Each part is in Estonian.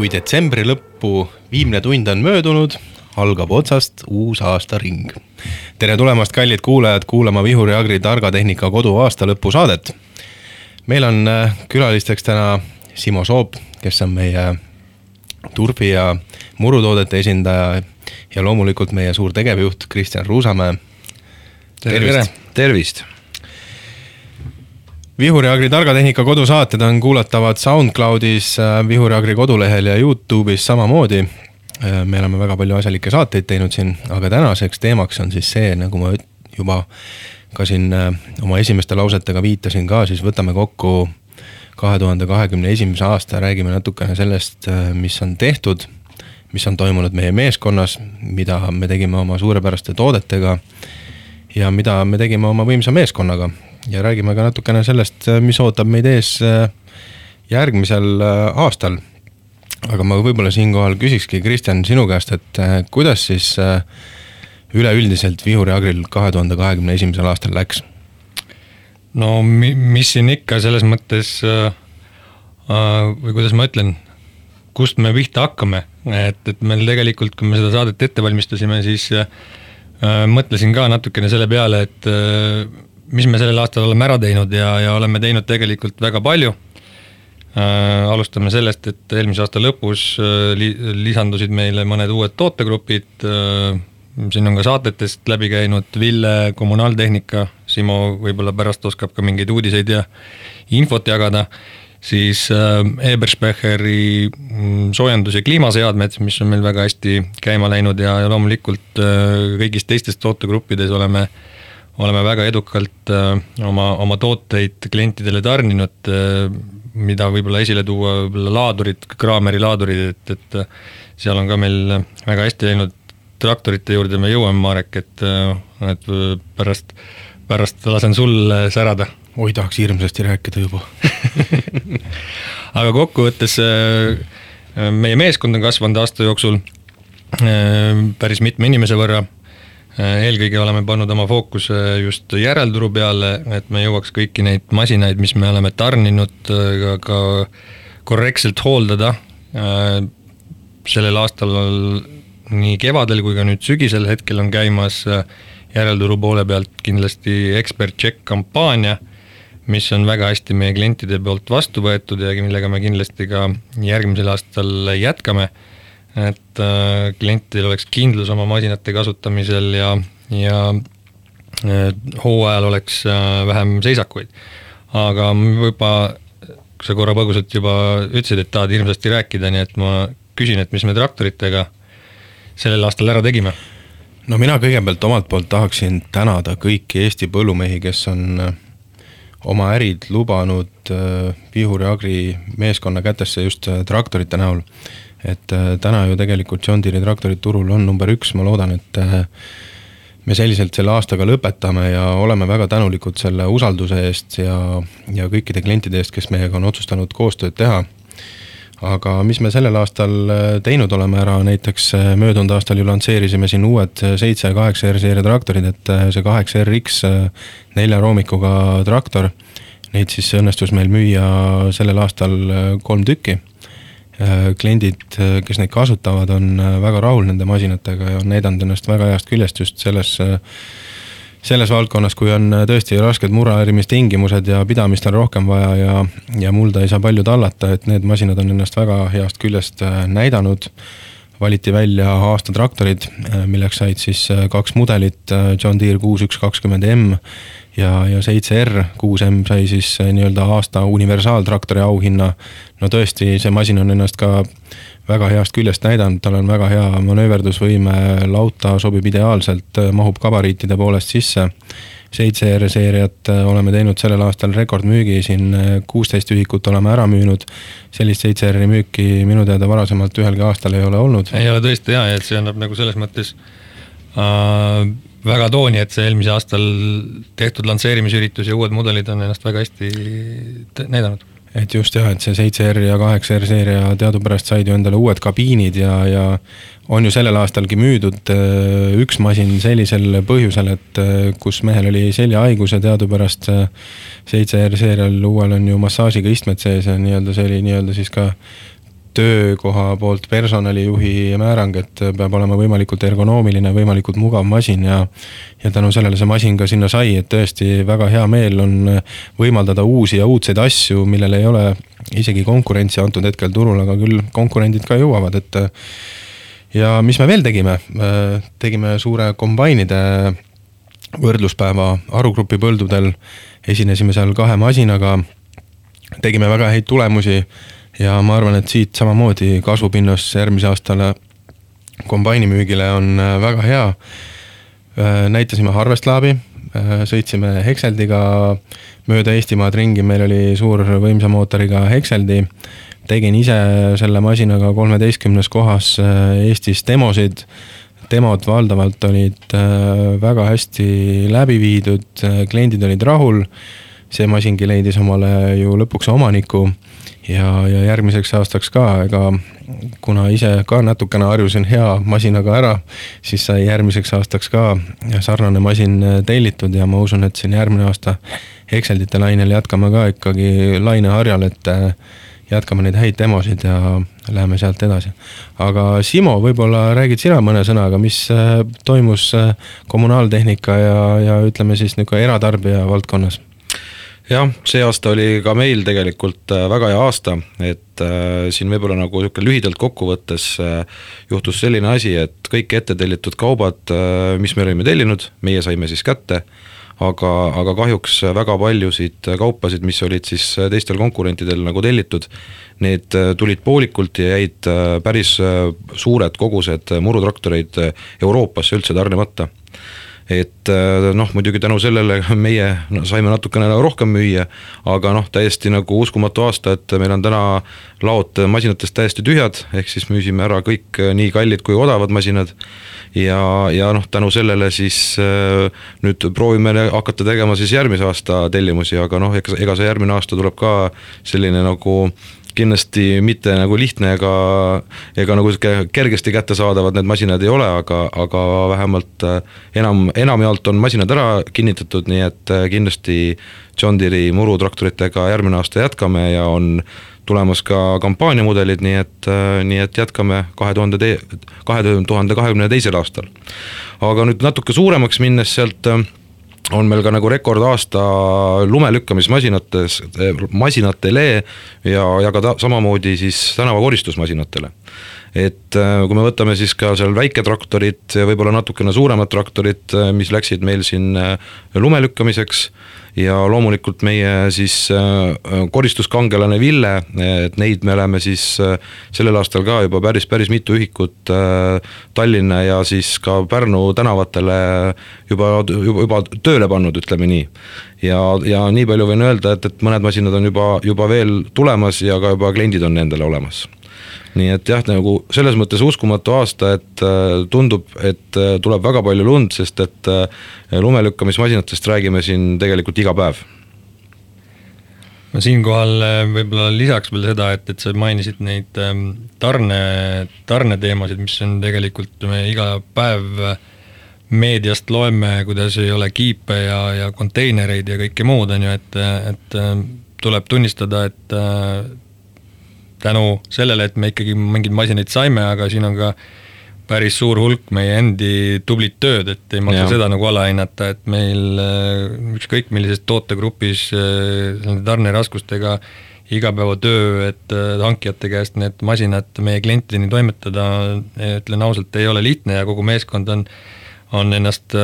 Kui detsembri lõppu viimne tund on möödunud, algab otsast uus aastaring. Tere tulemast, kallid kuulajad, kuulama Vihuri Agri Targatehnika kodu aasta lõpu saadet. Meil on külalisteks täna Simo Soop, kes on meie turbi- ja murutoodete esindaja ja loomulikult meie suur tegevjuht Kristjan Ruusamäe. Tervist! Vihuri Agri Targatehnika kodusaated on kuulatavad SoundCloudis, Vihuri Agri kodulehel ja YouTube'is samamoodi. Me oleme väga palju asjalikke saateid teinud siin, aga tänaseks teemaks on siis see, nagu ma juba ka siin oma esimeste lausetega viitasin ka, siis võtame kokku 2021. aasta, räägime natukene sellest, mis on tehtud, mis on toimunud meie meeskonnas, mida me tegime oma suurepäraste toodetega ja mida me tegime oma võimsa meeskonnaga. Ja räägime ka natukene sellest, mis ootab meid ees järgmisel aastal. Aga ma võib-olla siinkohal küsikski, Kristjan, sinu käest, et kuidas siis üleüldiselt Vihuri Agril 2021. aastal läks? No mis siin ikka selles mõttes, või kuidas ma ütlen, kust me pihta hakkame, et meil tegelikult, kui me seda saadet ette valmistasime, siis mõtlesin ka natukene selle peale, et mis me sellel aastal oleme ära teinud ja oleme teinud tegelikult väga palju. Alustame sellest, et eelmise aasta lõpus lisandusid meile mõned uued tootegrupid. Siin on ka saatetest läbi käinud Ville kommunaaltehnika, Simo võib-olla pärast oskab ka mingeid uudiseid ja infot jagada. Siis Eberspecheri soojendus- ja kliimaseadmed, mis on meil väga hästi käima läinud ja loomulikult kõigis teistes tootegruppides oleme väga edukalt oma tooteid klientidele tarninud, mida võib-olla esile tuua laadurid, Kraameri laadurid, et seal on ka meil väga hästi läinud traktorite juurde me jõuame, Marek, et pärast lasen sul särada. Oi, tahaks hirmsasti rääkida juba. Aga kokkuvõttes meie meeskond on kasvanud aasta jooksul päris mitme inimese võrra. Eelkõige oleme pannud oma fookuse just järelturu peale, et me jõuaks kõiki neid masinaid, mis me oleme tarninud, ka korrektselt hooldada. Sellel aastal nii kevadel kui ka nüüd sügisel hetkel on käimas järelturu poole pealt kindlasti Expert Check kampaania, mis on väga hästi meie klientide poolt vastu võetud ja millega me kindlasti ka järgmisel aastal jätkame. Et klientidel oleks kindlus oma masinate kasutamisel ja hooajal oleks vähem seisakuid. Aga juba, kui sa korra põgusalt juba ütlesid, et tahad hirmsasti rääkida, nii et ma küsin, et mis me traktoritega sellel aastal ära tegime? No mina kõigepealt omalt poolt tahaksin tänada kõiki Eesti põllumehi, kes on oma ärid lubanud Vihuri Agri meeskonna kätesse just traktorite näol. Et täna ju tegelikult John Deere traktorid turul on number 1, ma loodan, et me selliselt selle aastaga lõpetame ja oleme väga tänulikud selle usalduse eest ja kõikide klientide eest, kes meiega on otsustanud koostööd teha. Aga mis me sellel aastal teinud oleme ära, näiteks möödunud aastal ju lansseerisime siin uued 7-8R seeria traktorid, et see 8RX 4 roomikuga traktor, neid siis õnnestus meil müüa sellel aastal 3 tükki. Kliendid, kes neid kasutavad, on väga rahul nende masinatega ja on näidanud ennast väga heast küljest just selles valdkonnas, kui on tõesti rasked murahäirimistingimused ja pidamist on rohkem vaja ja mulda ei saa palju tallata, et need masinad on ennast väga heast küljest näidanud. Valiti välja aasta traktorid, milleks said siis 2 mudelit, John Deere 6120M ja 7R 6M sai siis nii-öelda aasta universaaltraktori auhinna. No tõesti, see masin on ennast ka väga heast küljest näidanud, tal on väga hea manööverdusvõime, lauta sobib ideaalselt, mahub gabariitide poolest sisse. 7R seeriat oleme teinud sellel aastal rekordmüügi, siin 16 ühikut oleme ära müünud. Sellist 7R müüki minu teada varasemalt ühelgi aastal ei ole olnud. Ei ole tõesti hea, et see annab nagu selles mõttes väga tooni, et see eelmise aastal tehtud lansseerimisüritus ja uued mudelid on ennast väga hästi näidanud. Et just jah, et see 7R ja 8R seeria teadupärast said ju endale uued kabiinid ja on ju sellel aastalgi müüdud üks masin sellisel põhjusel, et kus mehel oli seljahaigus ja teadupärast 7R seerial uuel on ju massaažiga istmed sees ja see oli siis ka töökoha poolt personalijuhi määrang, et peab olema võimalikult ergonoomiline, võimalikult mugav masin ja tänu sellele see masin ka sinna sai, et tõesti väga hea meel on võimaldada uusi ja uudseid asju, millel ei ole isegi konkurentsi antud hetkel turul, aga küll konkurendid ka jõuavad, et ja mis me veel tegime? Tegime suure kombainide võrdluspäeva Arugrupi põldudel, esinesime seal 2 masinaga, tegime väga häid tulemusi ja ma arvan, et siit samamoodi kasvupinnas järgmise aastale kombainimüügile on väga hea. Näitasime Harvestlaabi, sõitsime Hekseldiga mööda Eestimaad ringi, meil oli suur võimsa mootoriga Hekseldi, tegin ise selle masinaga 13 kohas Eestis demosid, demod valdavalt olid väga hästi läbi viidud, kliendid olid rahul, see masingi leidis omale ju lõpuks omaniku ja järgmiseks aastaks ka, ega kuna ise ka natukene harjusin hea masinaga ära, siis sai järgmiseks aastaks ka sarnane masin tellitud ja ma usun, et siin järgmine aasta Hekseldite lainel jätkame ka ikkagi laineharjal, et jätkame neid häid demosid ja läheme sealt edasi. Aga Simo, võib-olla räägid sina mõne sõnaga, mis toimus kommunaaltehnika ja ütleme siis eratarbija valdkonnas? Jah, see aasta oli ka meil tegelikult väga hea aasta, et siin võib-olla nagu lühidalt kokkuvõttes juhtus selline asi, et kõik ette tellitud kaubad, mis me olime tellinud, meie saime siis kätte, aga kahjuks väga paljusid kaupasid, mis olid siis teistel konkurentidel nagu tellitud, need tulid poolikult ja jäid päris suured kogused murutraktoreid Euroopasse üldse tarnemata. Et muidugi tänu sellele meie saime natukene rohkem müüa, aga täiesti nagu uskumatu aasta, et meil on täna laod masinatest täiesti tühjad, ehk siis müüsime ära kõik nii kallid kui odavad masinad ja tänu sellele siis nüüd proovime hakata tegema siis järgmise aasta tellimusi, aga ega see järgmine aasta tuleb ka selline nagu kindlasti mitte nagu lihtne ega nagu kergesti kätte saadavad need masinad ei ole, aga vähemalt enamjaolt on masinad ära kinnitatud, nii et kindlasti John Deere murutraktoritega järgmine aasta jätkame ja on tulemas ka kampaaniamudelid, nii et jätkame 2022. aastal. Aga nüüd natuke suuremaks minnes sealt on meil ka nagu rekordaasta lumelükkamismasinatele ja ka samamoodi siis tänavakoristusmasinatele. Et kui me võtame siis ka seal väiketraktorid ja võib-olla natukene suuremad traktorid, mis läksid meil siin lumelükkamiseks ja loomulikult meie siis koristuskangelane Ville, et neid me oleme siis sellel aastal ka juba päris mitu ühikut Tallinna ja siis ka Pärnu tänavatele juba tööle pannud, ütleme nii. Ja nii palju võin öelda, et mõned masinad on juba veel tulemas ja ka juba kliendid on nendele olemas. Nii et jah, nagu selles mõttes uskumatu aasta, et tundub, et tuleb väga palju lund, sest et lumelükkamismasinatest räägime siin tegelikult iga päev. Ma siinkohal võib-olla lisaks veel seda, et sa mainisid neid tarne teemasid, mis on tegelikult me iga päev meediast loeme, kuidas ei ole kiipe ja konteinereid ja kõike muud on ju, et tuleb tunnistada, et tänu sellele, et me ikkagi mingid masinaid saime, aga siin on ka päris suur hulk meie endi tublit tööd, et ei maksa seda nagu alahinnata, et meil ükskõik millises tootegrupis tarneraskustega igapäevatöö, et hankijate käest need masinad meie klientideni toimetada, ütlen ausalt, ei ole lihtne ja kogu meeskond on ennast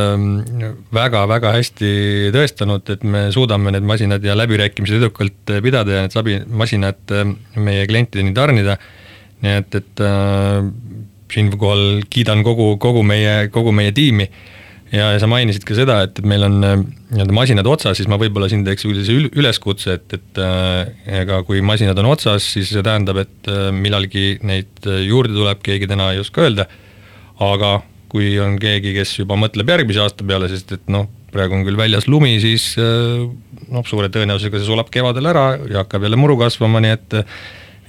väga-väga hästi tõestanud, et me suudame need masinad ja läbirääkimised edukalt pidada ja need masinad meie klientideni tarnida. Nii et siinkohal kiidan kogu meie tiimi ja sa mainisid ka seda, et meil on masinad otsas, siis ma võib-olla siin teeks üleskutse, et ega kui masinad on otsas, siis see tähendab, et millalgi neid juurde tuleb, keegi täna ei oska öelda, aga kui on keegi, kes juba mõtleb järgmise aasta peale, sest et praegu on küll väljas lumi, siis suure tõenäosusega see sulab kevadel ära ja hakkab jälle muru kasvama, nii et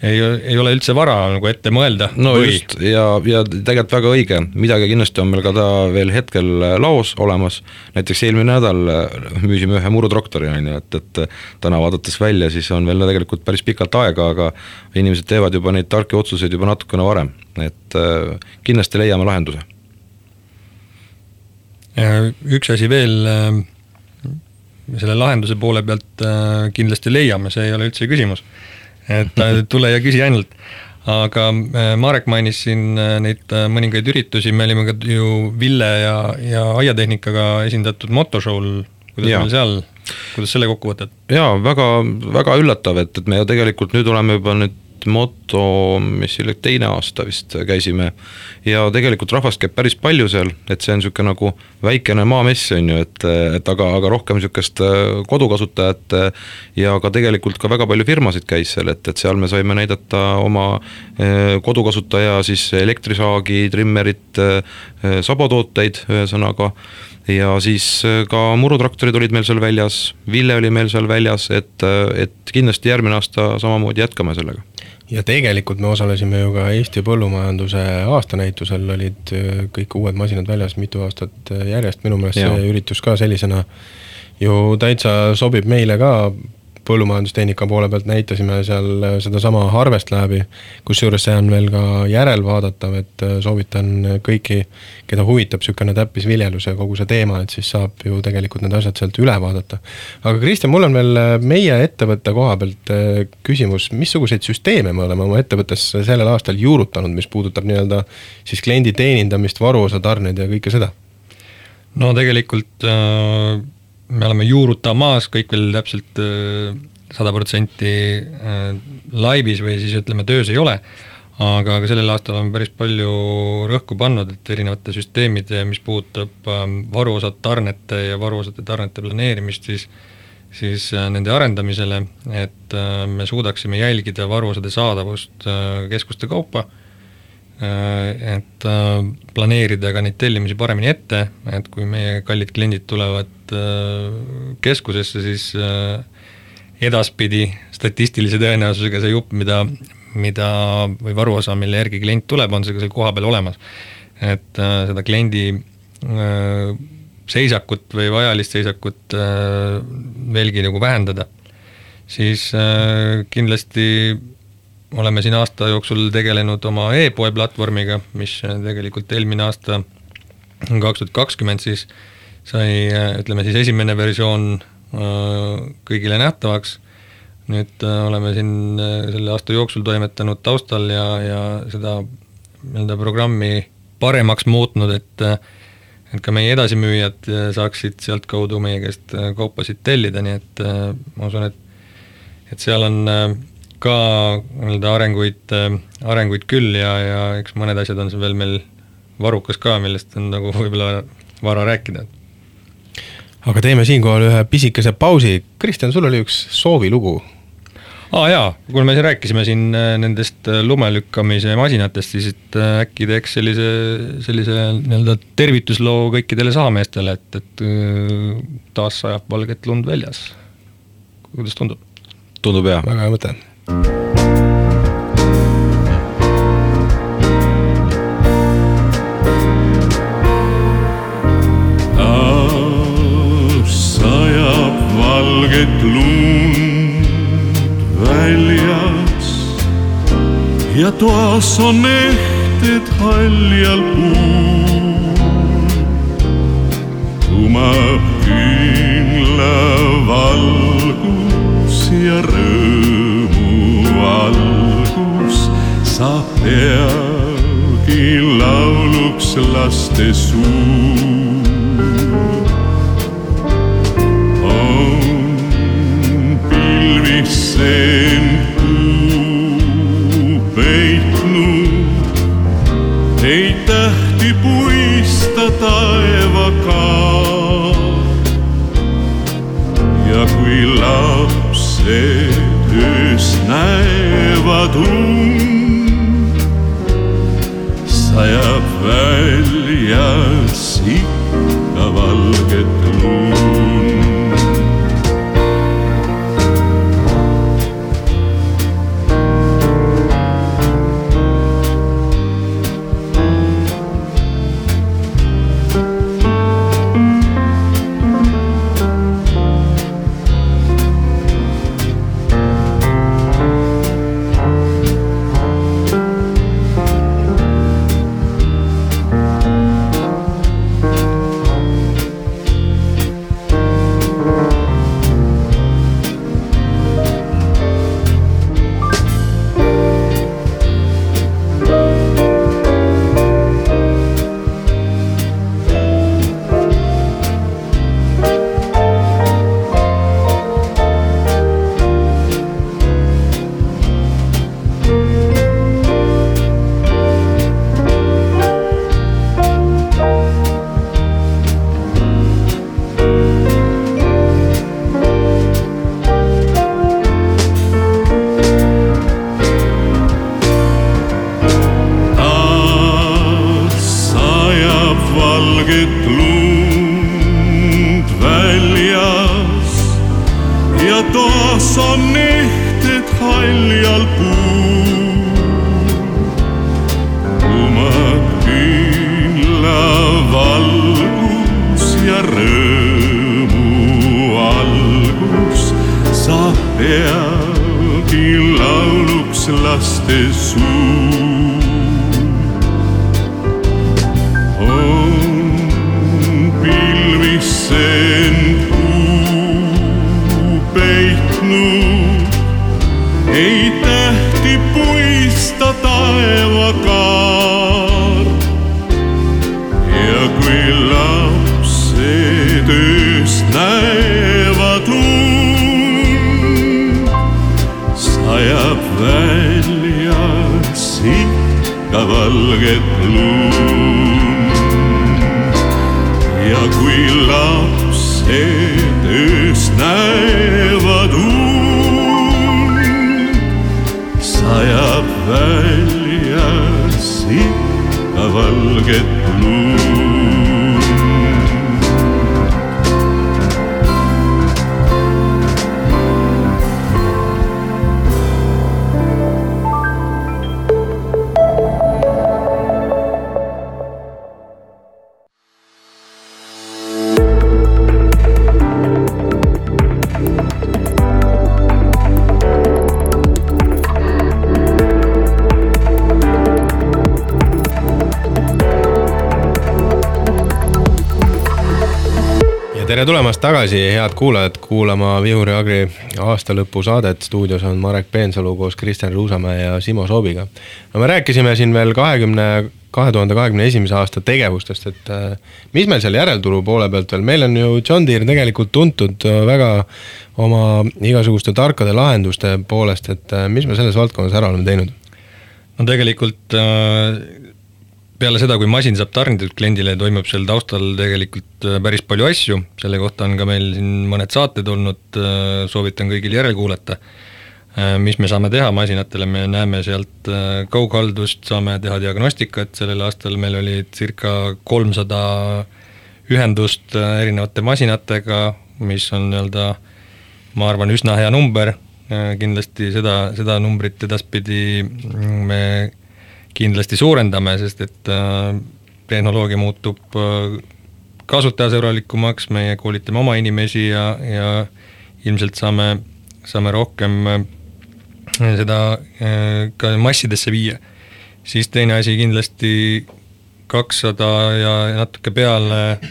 ei ole üldse vara nagu ette mõelda. No just, ja tegelikult väga õige, midagi kindlasti on meil ka ta veel hetkel laos olemas, näiteks eelmine nädal müüsime ühe murutraktori, et täna vaadates välja, siis on veel tegelikult päris pikalt aega, aga inimesed teevad juba neid tarki otsuseid juba natukene varem, et kindlasti leiame lahenduse. Üks asi veel, selle lahenduse poole pealt kindlasti leiame, see ei ole üldse küsimus. Et tule ja küsi ainult. Aga Marek mainis siin neid mõningaid üritusi, me olime ka ju Ville ja Aiatehnikaga esindatud motoshow'l, kuidas selle kokku võtad? Jaa, väga, väga üllatav, et me ju tegelikult nüüd oleme juba nüüd moto, mis teine aasta vist käisime ja tegelikult rahvast käib päris palju seal, et see on niisugune nagu väikene maamess on ju, et aga rohkem niisugust kodukasutajat ja ka tegelikult ka väga palju firmasid käis seal, et seal me saime näidata oma kodukasutaja siis elektrisaagi, trimmerit, sabotooteid ühesõnaga ja siis ka murutraktorid olid meil seal väljas, Ville oli meil seal väljas, et kindlasti järgmine aasta samamoodi jätkame sellega. Ja tegelikult me osalesime ju ka Eesti põllumajanduse aastanäitusel, olid kõik uued masinad väljas mitu aastat järjest, minu meelest see üritus ka sellisena ju täitsa sobib meile ka. Põllumajandustehnika poole pealt näitasime seal seda sama Harvest Labi, kus juures see on veel ka järelvaadatav, et soovitan kõiki, keda huvitab sükene täppisviljelus ja kogu see teema, et siis saab ju tegelikult need asjad sealt üle vaadata. Aga Kristjan, mul on veel meie ettevõtte koha pealt küsimus, missuguseid süsteeme me oleme oma ettevõttes sellel aastal juurutanud, mis puudutab nii-öelda siis kliendi teenindamist, varuosa tarneid ja kõike seda? No tegelikult me oleme juurutamas, kõik veel täpselt 100% laivis või siis ütleme töös ei ole, aga sellel aastal on päris palju rõhku pannud, et erinevate süsteemide, mis puudutab varuosad tarnete ja varuosade tarnete planeerimist, siis nende arendamisele, et me suudaksime jälgida varuosade saadavust keskuste kaupa, et planeerida ka neid tellimusi paremini ette, et kui meie kallid kliendid tulevad keskusesse, siis edaspidi statistilise tõenäosusega see jupp, mida või varuosa, mille järgi klient tuleb, on see koha peal olemas. Et seda kliendi seisakut või vajalist seisakut veelgi nagu vähendada, siis kindlasti oleme siin aasta jooksul tegelenud oma e-poe platvormiga, mis tegelikult eelmine aasta 2020 siis sai, ütleme siis esimene versioon kõigile nähtavaks. Nüüd oleme siin selle aasta jooksul toimetanud taustal ja seda programmi paremaks muutnud, et ka meie edasimüüjad saaksid sealt kaudu meie käest kaupasid tellida, nii et ma usun, et seal on ka arenguid küll ja eks mõned asjad on see veel meil varukas ka, millest on nagu võib-olla vara rääkida. Aga teeme siinkohal ühe pisikese pausi. Kristjan, sul oli üks soovilugu. Jaa, kui me rääkisime siin nendest lumelükkamise masinatest, siis äkki teeks sellise tervitusloo kõikidele saameestele, et taas sajab valget lund väljas. Kuidas tundub? Tundub hea. Väga hea mõte. Sajab valget lund väljas ja toas on ehted haljal puul. Tumab küünla valgus ja rõõmu algus saab peagi lauluks laste suu. On pilvissend kuu peitnud, ei tähti puista taevaga. Ja kui lapsed öös näevad sajab väljas ikka valget lund. suu. On pilvisse end kuu peitnud, ei tähti puista taevakaar. Ja kui lapsed ööst näevad und, sajab välja sikka valget lund. Ja kui lapsed ööst näevad und, sajab välja sikka valget lund. Tere tulemast tagasi, head kuulajad, kuulama Vihuri Agri aastalõpu saadet. Stuudios on Marek Peensalu koos Kristjan Ruusamäe ja Simo Soobiga. No me rääkisime siin veel 2021. aasta tegevustest, et mis meil seal järelturu poole pealt veel? Meil on ju John Deere tegelikult tuntud väga oma igasuguste tarkade lahenduste poolest, et mis me selles valdkonnas ära oleme teinud? No tegelikult peale seda, kui masin saab tarnitud kliendile, toimub seal taustal tegelikult päris palju asju, selle kohta on ka meil siin mõned saated olnud, soovitan kõigil järel kuulata. Mis me saame teha masinatele, me näeme sealt kaughaldust, saame teha diagnostikat, sellel aastal meil oli circa 300 ühendust erinevate masinatega, mis on nii-öelda, ma arvan, üsna hea number, kindlasti seda numbrit edaspidi me kindlasti suurendame, sest et tehnoloogia muutub kasutajasõbralikumaks, meie koolitame oma inimesi ja ilmselt saame rohkem seda ka massidesse viia. Siis teine asi kindlasti 200 ja natuke peale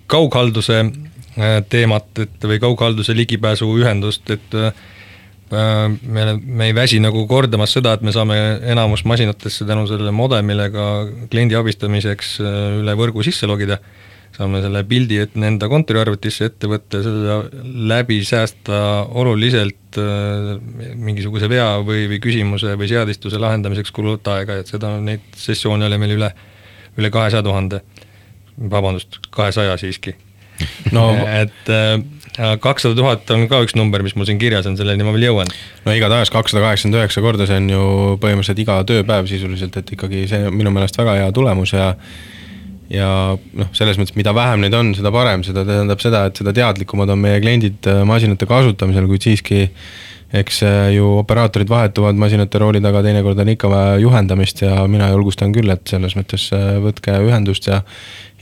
kaughalduse teemat, või kaughalduse ligipääsu ühendust, et me ei väsi nagu kordamas seda, et me saame enamus masinatesse tänu sellele modemile ka kliendi abistamiseks üle võrgu sisse logida. Saame selle pildi, et enda kontoriarvutisse ette võtta, selle läbi säästa oluliselt mingisuguse vea või küsimuse või seadistuse lahendamiseks kuluvat aega, et seda neid sessioone oli meil üle 200 000, vabandust, 200 siiski. No, et 200 000 on ka üks number, mis mul siin kirjas on, selleni ma veel jõuan. No igatahes 289 korda, see on ju põhimõtteliselt iga tööpäev sisuliselt, et ikkagi see minu meelest väga hea tulemus ja selles mõttes, mida vähem neid on, seda parem, seda tähendab seda, et seda teadlikumad on meie kliendid masinate kasutamisel, kuid siiski eks ju operaatorid vahetuvad masinate rooli taga, teinekord on ikka vaja juhendamist ja mina julgustan küll, et selles mõttes võtke ühendust ja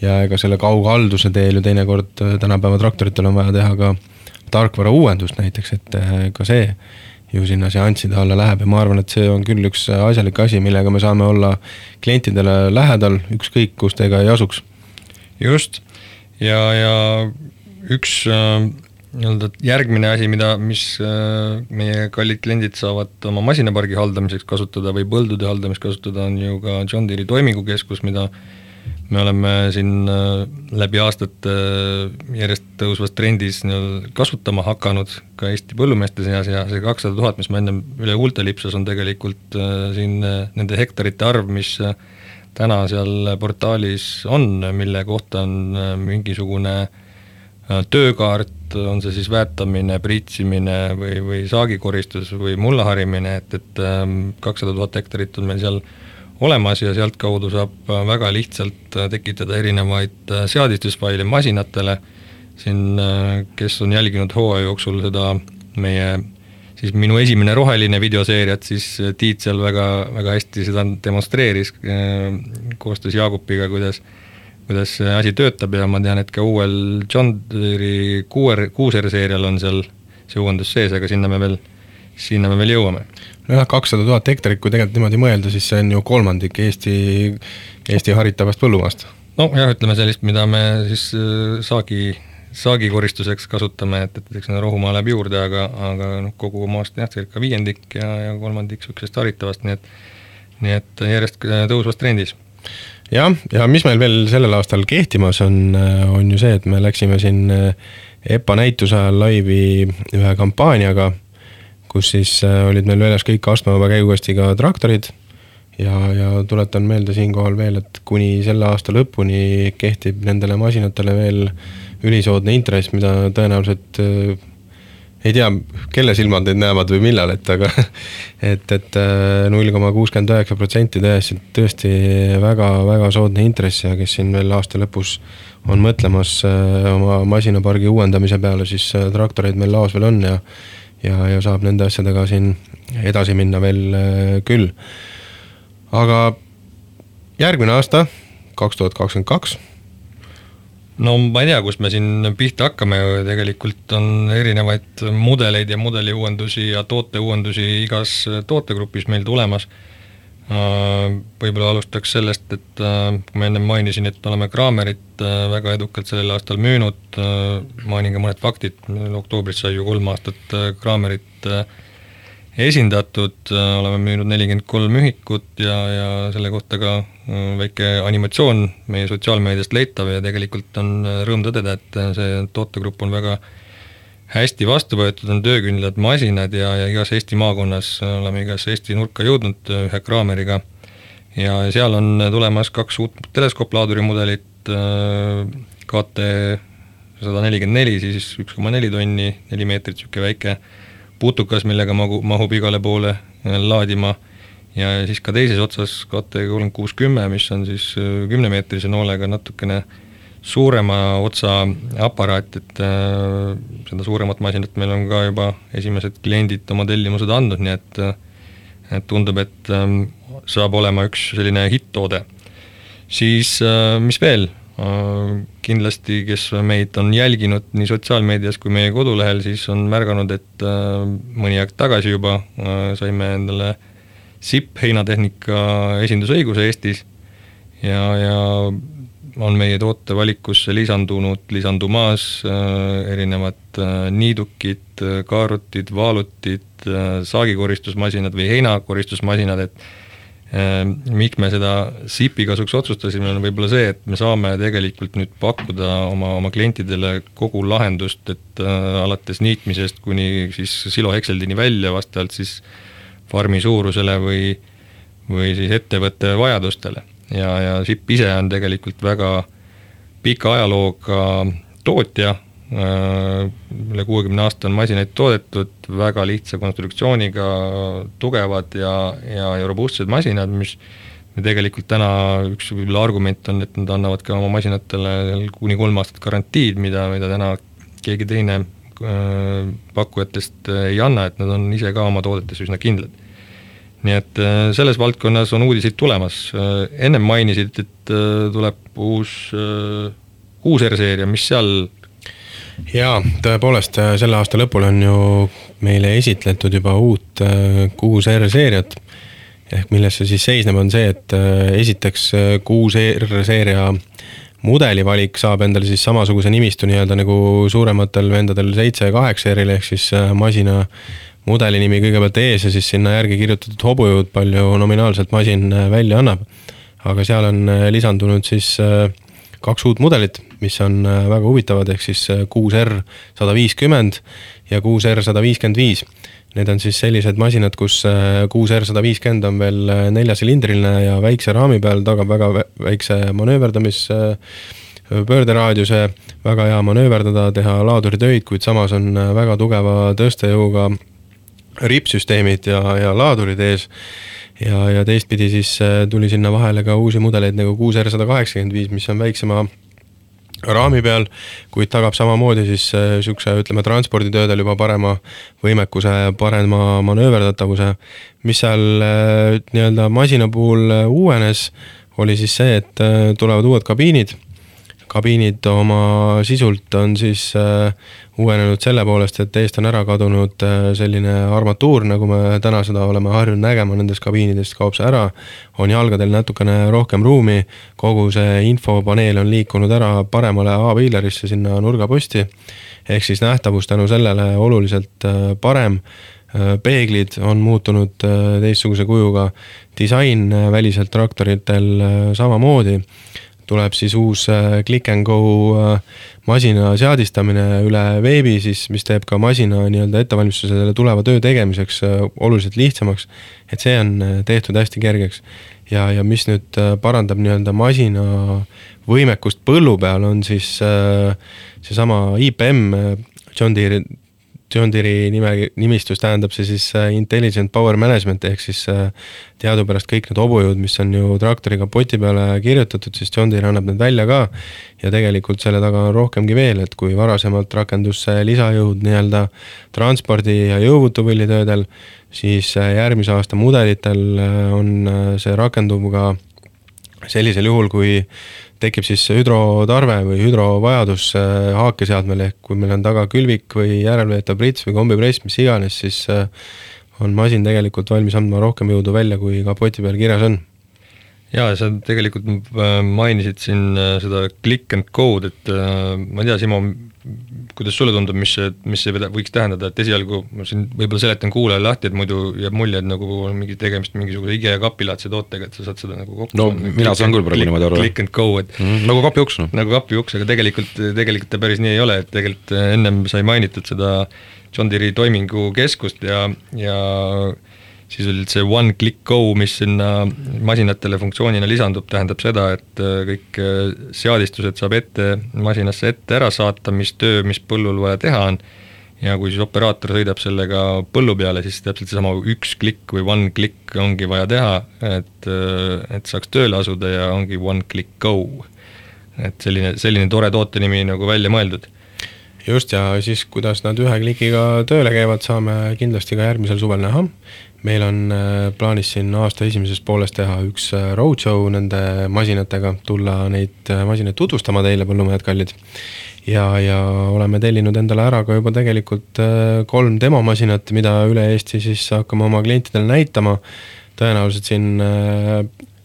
ega selle kaughalduse teel ju teinekord tänapäeva traktoritel on vaja teha ka tarkvara uuendust näiteks, et ka see ju sinna seansside alla läheb ja ma arvan, et see on küll üks asjalik asi, millega me saame olla klientidele lähedal, ükskõik kus teiega ei asuks. Just, ja üks järgmine asi, mis meie kallid kliendid saavad oma masinapargi haldamiseks kasutada või põldude haldamiseks kasutada, on ju ka John Deere toimingukeskus, mida me oleme siin läbi aastate järjest tõusvas trendis kasutama hakanud ka Eesti põllumeeste seas ja see 200 000, mis ma enne üle huulte lipsas, on tegelikult siin nende hektarite arv, mis täna seal portaalis on, mille kohta on mingisugune töökaart, on see siis väetamine, priitsimine või saagikoristus või mullaharimine, et 200 000 hektarit on meil seal olemas ja sealt kaudu saab väga lihtsalt tekitada erinevaid seadistusfaile masinatele. Siin, kes on jälginud hooaja jooksul seda siis minu esimene roheline videoseeriat, siis Tiit seal väga, väga hästi seda demonstreeris koostöös Jaagupiga, kuidas see asi töötab ja ma tean, et ka uuel John Deere 6R seerial on seal see uuendus sees, aga sinna me veel sinna me veel jõuame. Nojah, 200 000 hektarit, kui tegelikult niimoodi mõelda, siis see on ju kolmandik Eesti haritavast põllumaast. No jah, ütleme sellist, mida me siis saagikoristuseks kasutame, et eks rohumaa läheb juurde, aga kogu maast jah, circa 5% ja 3% sükest haritavast, nii et järjest tõusvast trendis. Ja mis meil veel sellel aastal kehtimas on ju see, et me läksime siin EPA näituse ajal laivi ühe kampaaniaga, kus siis olid meil väljas kõik astmevaba käigukastiga traktorid ja tuletan meelde siinkohal veel, et kuni selle aasta lõpuni kehtib nendele masinatele veel ülisoodne intress, mida tõenäoliselt ei tea, kelle silmad need näevad või millal, aga et 0,69% tõesti väga soodne intress ja kes siin veel aasta lõpus on mõtlemas oma masinapargi uuendamise peale, siis traktoreid meil laos veel on ja saab nende asjadega siin edasi minna veel küll. Aga järgmine aasta, 2022, no ma ei tea, kust me siin pihta hakkame, tegelikult on erinevaid mudeleid ja mudeliuuendusi ja tooteuuendusi igas tootegrupis meil tulemas. Võib-olla alustaks sellest, et kui ma enne mainisin, et oleme Kraamerit väga edukalt sellel aastal müünud, mainin ka mõned faktid, oktoobris sai ju 3 aastat Kraamerit esindatud, oleme müünud 43 ühikut ja selle kohta ka väike animatsioon meie sotsiaalmeediast leitav ja tegelikult on rõõm tõdeda, et see tootegrupp on väga hästi vastu võetud, on töökindlad masinad ja igas Eesti maakonnas oleme igas Eesti nurka jõudnud ühe Kraameriga ja seal on tulemas 2 uut teleskoopplaaduri mudelit, KT 144, siis 1,4 tonni, 4 meetrit, siuke väike putukas, millega mahub igale poole laadima ja siis ka teises otsas KT3610, mis on siis 10-meetrise noolega natukene suurema otsa aparaat, et seda suuremat masinat meil on ka juba esimesed kliendid oma tellimused andnud, nii et tundub, et saab olema üks selline hitt-toode. Siis mis veel? Kindlasti, kes meid on jälginud nii sotsiaalmeedias kui meie kodulehel, siis on märganud, et mõni aeg tagasi juba saime endale SIP heinatehnika esindusõiguse Eestis ja on meie tootevalikusse lisandumas erinevad niidukid, kaarutid, vaalutid, saagikoristusmasinad või heinakoristusmasinad, et miks me seda SIP-i kasuks otsustasime, on võib-olla see, et me saame tegelikult nüüd pakkuda oma klientidele kogu lahendust, et alates niitmisest kuni siis silohekseldini välja vastavalt siis farmi suurusele või siis ettevõtte vajadustele. Ja SIP ise on tegelikult väga pika ajalooga tootja, üle 60 aasta on masinaid toodetud, väga lihtsa konstruktsiooniga, tugevad ja robustsed masinad, mis tegelikult täna üks argument on, et nad annavad ka oma masinatele kuni 3 aastat garantiid, mida täna keegi teine pakkujatest ei anna, et nad on ise ka oma toodetes üsna kindlad. Nii et selles valdkonnas on uudiseid tulemas. Ennem mainisid, et tuleb uus R-seeria, mis seal. Jaa, tõepoolest selle aasta lõpul on ju meile esitletud juba uut 6 R-seeriat, ehk millesse siis seisneb on see, et esiteks 6 R-seeria mudelivalik saab endale siis samasuguse nimistu nii-öelda nagu suurematel vendadel 7 ja 8 R-il, ehk siis masina mudeli nimi kõigepealt ees ja siis sinna järgi kirjutatud hobujõud, palju nominaalselt masin välja annab. Aga seal on lisandunud siis 2 uut mudelit, mis on väga huvitavad, ehk siis 6R150 ja 6R155. Need on siis sellised masinad, kus 6R150 on veel 4-silindriline ja väikse raami peal tagab väga väikse pöörderaadiuse, väga hea manööverdada, teha laaduritöid, kuid samas on väga tugeva tõstejõuga ripsüsteemid ja laadurid ees. Ja teistpidi siis tuli sinna vahele ka uusi mudeleid nagu 6R185, mis on väiksema raami peal, kuid tagab samamoodi siis sükse, ütleme, transporditöödel juba parema võimekuse, parema manööverdatavuse. Mis seal nii-öelda masina puhul uuenes, oli siis see, et tulevad uued kabiinid. kabiinid oma sisult on siis uuenenud selle poolest, et eest on ära kadunud selline armatuur, nagu me täna seda oleme harjunud nägema nendest kabiinidest, kaob see ära, on jalgadel natukene rohkem ruumi, kogu see infopaneel on liikunud ära paremale A-piilerisse sinna nurgaposti, ehk siis nähtavus tänu sellele oluliselt parem, peeglid on muutunud teistsuguse kujuga, disain väliselt traktoritel samamoodi, tuleb siis uus click and go masina seadistamine üle veebi, siis, mis teeb ka masina nii-öelda ettevalmistuse selle tuleva töö tegemiseks oluliselt lihtsamaks, et see on tehtud hästi kergeks. Ja mis nüüd parandab nii-öelda masina võimekust põllu peal, on siis seesama IPM, John Deere'i nimistus tähendab see siis Intelligent Power Management, ehk siis teadupärast kõik need hobujõud, mis on ju traktori kapoti peale kirjutatud, siis John Deere annab need välja ka ja tegelikult selle taga on rohkemgi veel, et kui varasemalt rakendus lisajõud nii-öelda transpordi ja jõuvutupõllitöödel, siis järgmise aasta mudelitel on see rakenduv ka sellisel juhul, kui tekib siis hüdrotarve või hüdrovajadus haakeseadmel, ehk kui meil on taga külvik või järelveetav prits või kombipress, mis iganes, siis on masin tegelikult valmis andma rohkem jõudu välja, kui kapoti peal kirjas on. Jaa, sa tegelikult mainisid siin seda click and code, et ma ei tea, Simo, kuidas sulle tundub, mis see võiks tähendada, et esialgu ma siin võib-olla seletan kuulajale lahti, et muidu jääb mulje, et nagu on mingi tegemist mingisuguse IKEA kapilaatse tootega, et sa saad seda nagu kokku. No mina saan küll praegu niimoodi aru. Click and go, et nagu kapiuks. No. Nagu kapiuks, aga tegelikult ta päris nii ei ole, et tegelikult ennem sai mainitud seda John Deere'i toimingu keskust ja siis oli see one click go, mis sinna masinatele funktsioonina lisandub, tähendab seda, et kõik seadistused saab masinasse ette ära saata, mis töö, mis põllul vaja teha on, ja kui siis operaator sõidab sellega põllu peale, siis täpselt seesama üks klikk või one click ongi vaja teha, et saaks tööle asuda ja ongi one click go. Et selline tore toote nimi nagu välja mõeldud. Just, ja siis kuidas nad ühe klikiga tööle käivad, saame kindlasti ka järgmisel suvel näha. Meil on plaanis siin aasta esimeses pooles teha üks roadshow nende masinatega, tulla neid masinaid tutvustama teile, põllumehed kallid. Ja oleme tellinud endale ära ka juba tegelikult 3 demomasinat, mida üle Eesti siis hakkame oma klientidele näitama. Tõenäoliselt siin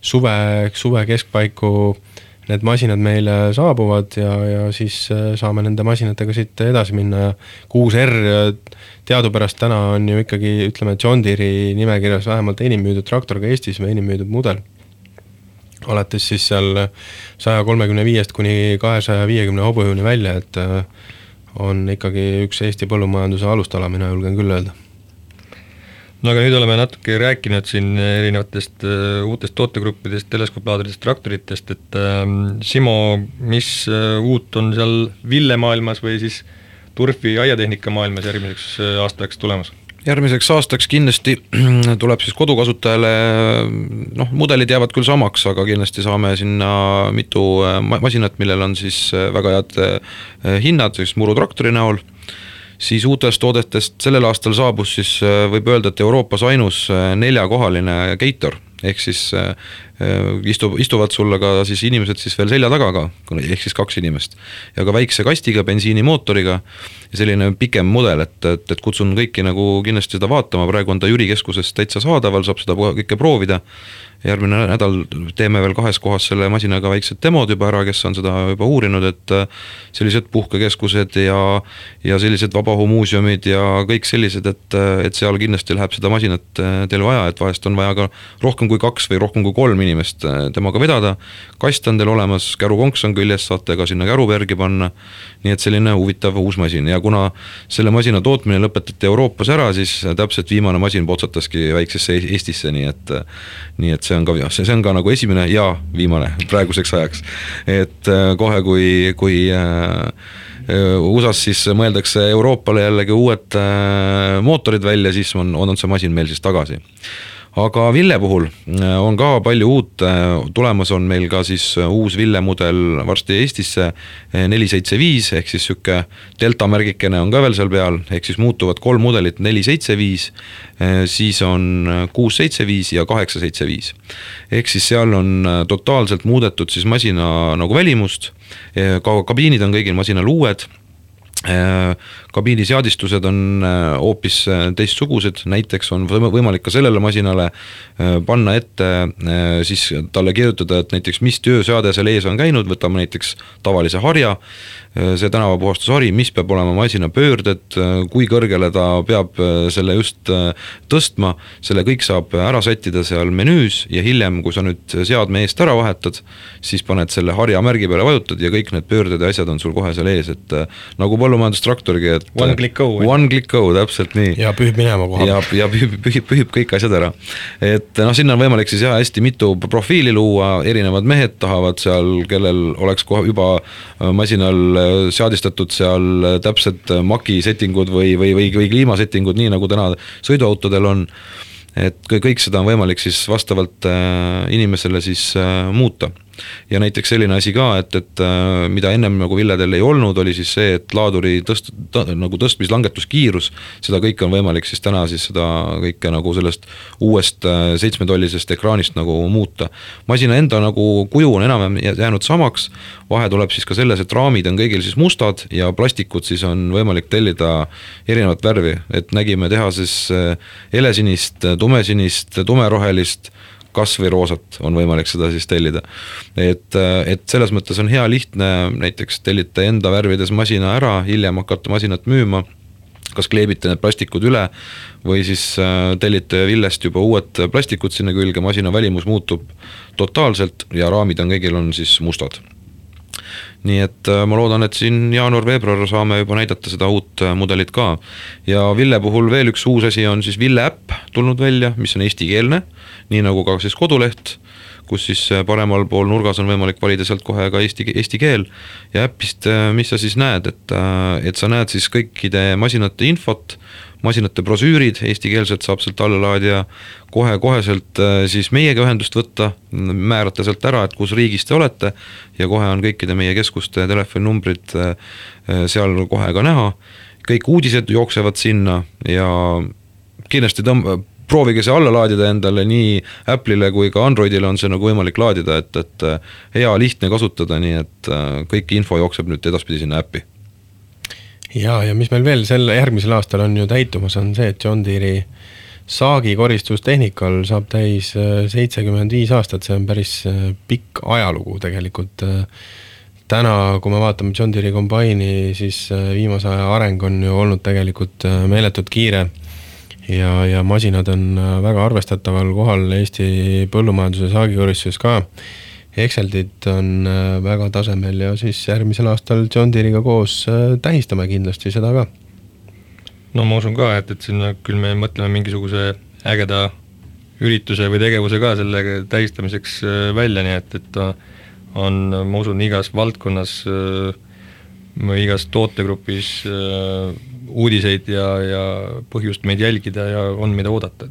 suve keskpaiku need masinad meile saabuvad ja siis saame nende masinatega siit edasi minna. 6R teadupärast täna on ju ikkagi, ütleme, John Deere'i nimekirjas vähemalt enim müüdud traktor ka Eestis või enim müüdud mudel. Alates siis seal 135 kuni 250 hobujõuni välja, et on ikkagi üks Eesti põllumajanduse alustala, mina julgen küll öelda. No aga nüüd oleme natuke rääkinud siin erinevatest uutest tootegruppidest, teleskoplaadridest, traktoritest, et Simo, mis uut on seal Ville maailmas või siis Turfi aiatehnika maailmas järgmiseks aastaks tulemas? Järgmiseks aastaks kindlasti tuleb siis kodukasutajale, mudelid jäävad küll samaks, aga kindlasti saame sinna mitu masinat, millel on siis väga head hinnad, siis murutraktori näol. Siis uutest toodetest sellel aastal saabus siis võib öelda, et Euroopas ainus 4-kohaline Gator, ehk siis istuvad sulle ka siis inimesed siis veel selja taga ka, ehk siis 2 inimest. Ja ka väikse kastiga, bensiinimootoriga ja selline pikem mudel, et kutsun kõiki nagu kindlasti seda vaatama, praegu on ta Jüri keskuses täitsa saadaval, saab seda kõike proovida. Järgmine nädal teeme veel 2 kohas selle masinaga väiksed demod juba ära, kes on seda juba uurinud, et sellised puhkekeskused ja sellised vabahumuuseumid ja kõik sellised, et seal kindlasti läheb seda masinat teil vaja, et vahest on vaja ka rohkem kui 2 või rohkem kui 3 inimest temaga vedada. Kast on teil olemas, kärukonks on küljes, saate ka sinna kärupergi panna, nii et selline huvitav uus masin. Ja kuna selle masina tootmine lõpetati Euroopas ära, siis täpselt viimane masin potsataski väiksesse Eestisse, nii et see on ka nagu esimene ja viimane praeguseks ajaks. Et kohe kui USAs siis mõeldakse Euroopale jällegi uued mootorid välja, siis on see masin meil siis tagasi. aga Ville puhul on ka palju uut, tulemas on meil ka siis uus Ville mudel varsti Eestisse 475 ehk siis siuke delta märgikene on ka veel seal peal, ehk siis muutuvad 3 mudelit 475, siis on 675 ja 875. Ehk siis seal on totaalselt muudetud siis masina nagu välimust, kabiinid on kõigil masinal uued, kabiini seadistused on hoopis teistsugused, näiteks on võimalik ka sellele masinale panna ette, siis talle kirjutada, et näiteks mis tööseade seal ees on käinud, võtame näiteks tavalise harja, see tänavapuhastushari, mis peab olema masina pöörded, kui kõrgele ta peab selle just tõstma, selle kõik saab ära sättida seal menüüs ja hiljem, kui sa nüüd seadme eest ära vahetad, siis paned selle harja märgi peale, vajutad ja kõik need pöörded ja asjad on sul kohe seal ees, et nagu põllumajandustraktorgi, et One click go, täpselt nii. Ja pühib minema koha. Ja pühib kõik asjad ära. Et sinna on võimalik siis hästi mitu profiili luua, erinevad mehed tahavad seal, kellel oleks kohe juba masinal seadistatud seal täpselt maki settingud või kliimasettingud, nii nagu täna sõiduautodel on. Et kõik seda on võimalik siis vastavalt inimesele siis muuta. Ja näiteks selline asi ka, et mida ennem nagu Villedel ei olnud, oli siis see, et laaduri nagu tõstmis-langetuskiirus, seda kõike on võimalik siis täna siis seda kõike nagu sellest uuest 7-tollisest ekraanist nagu muuta. Masina enda nagu kuju on enam jäänud samaks, vahe tuleb siis ka selles, et raamid on kõigil siis mustad ja plastikud siis on võimalik tellida erinevat värvi, et nägime tehases helesinist, tumesinist, tumerohelist, kas või roosat on võimalik seda siis tellida. Et selles mõttes on hea lihtne näiteks tellite enda värvides masina ära, hiljem hakata masinat müüma, kas kleebite need plastikud üle või siis tellite Villest juba uued plastikud sinna külge, masina välimus muutub totaalselt ja raamid on kõigil on siis mustad. Nii et ma loodan, et siin jaanuar-veebruar saame juba näidata seda uut mudelit ka. Ja Ville puhul veel üks uus asi on siis Ville äpp tulnud välja, mis on eestikeelne, nii nagu ka siis koduleht, kus siis paremal pool nurgas on võimalik valida sealt kohe ka eesti keel ja äppist, mis sa siis näed, et sa näed siis kõikide masinate infot, masinate brosüürid, eestikeelselt saab sealt allalaadija koheselt siis meiega ühendust võtta, määrata sealt ära, et kus riigis te olete ja kohe on kõikide meie keskuste telefoninumbrid seal kohe ka näha, kõik uudised jooksevad sinna ja kindlasti proovige see alla laadida endale, nii Apple'ile kui ka Androidile on see nagu võimalik laadida, et hea lihtne kasutada, nii et kõik info jookseb nüüd edaspidi sinna äppi. Ja mis meil veel järgmisel aastal on ju täitumas, on see, et John Deere'i saagikoristustehnikal saab täis 75 aastat, see on päris pikk ajalugu tegelikult. Täna, kui me vaatame John Deere'i kombaini, siis viimase aja areng on ju olnud tegelikult meeletult kiire ja masinad on väga arvestataval kohal Eesti põllumajanduse saagikoristuses ka. Exceldid on väga tasemel ja siis järgmisel aastal John Deere'iga koos tähistame kindlasti seda ka. No ma usun ka, et sinna küll me mõtleme mingisuguse ägeda ürituse või tegevuse ka selle tähistamiseks välja, nii et on, ma usun, igas valdkonnas või igas tootegrupis uudiseid ja põhjust meid jälgida ja on mida oodata.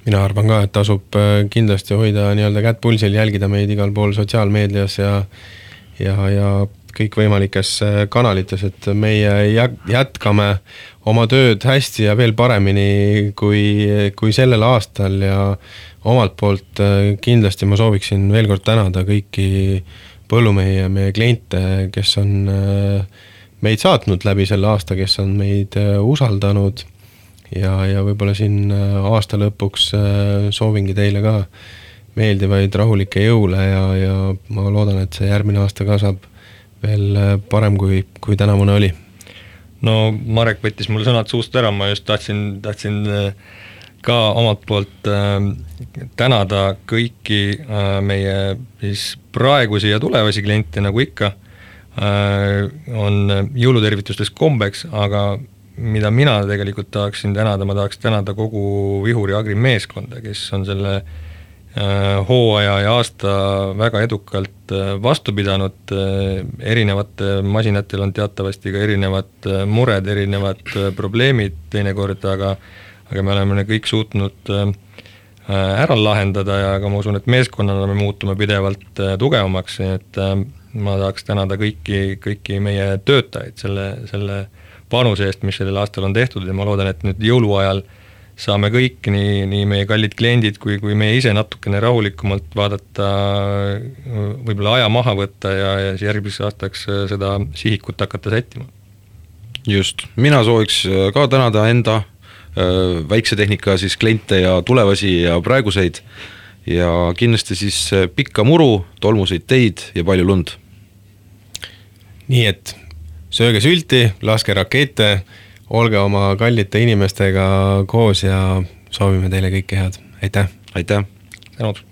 Mina arvan ka, et tasub kindlasti hoida nii-öelda kätt pulsil, jälgida meid igal pool sotsiaalmeedias ja kõikvõimalikes kanalites, et meie jätkame oma tööd hästi ja veel paremini kui sellel aastal ja omalt poolt kindlasti ma sooviksin veel kord tänada kõiki põllumehi ja meie kliente, kes on meid saatnud läbi selle aasta, kes on meid usaldanud ja võib-olla siin aasta lõpuks soovingi teile ka meeldivaid rahulikke jõule ja ma loodan, et see järgmine aasta ka saab veel parem kui tänavune oli. No Marek võttis mul sõnad suust ära, ma just tahtsin ka omalt poolt tänada kõiki meie siis praegusi ja tulevasi kliente, nagu ikka on jõulutervitustes kombeks, aga mida mina tegelikult tahaksin tänada, ma tahaks tänada kogu Vihuri Agri meeskonda, kes on selle hooaja ja aasta väga edukalt vastu pidanud, erinevate masinatel on teatavasti ka erinevad mured, erinevad probleemid teinekord, aga me oleme kõik suutnud ära lahendada ja ka ma usun, et meeskonnana me muutume pidevalt tugevamaks, et ma tahaks tänada kõiki meie töötajaid selle panuse eest, mis sellel aastal on tehtud ja ma loodan, et nüüd jõuluajal saame kõik, nii meie kallid kliendid kui meie ise natukene rahulikumalt vaadata, võib-olla aja maha võtta ja järgmiseks aastaks seda sihikut hakata sättima. Just, mina sooviks ka tänada enda väikse tehnika siis kliente ja tulevasi ja praeguseid ja kindlasti siis pikka muru, tolmuseid teid ja palju lund. Nii et sööge sülti, laske rakette, olge oma kallite inimestega koos ja soovime teile kõike head. Aitäh! Aitäh! Tänud!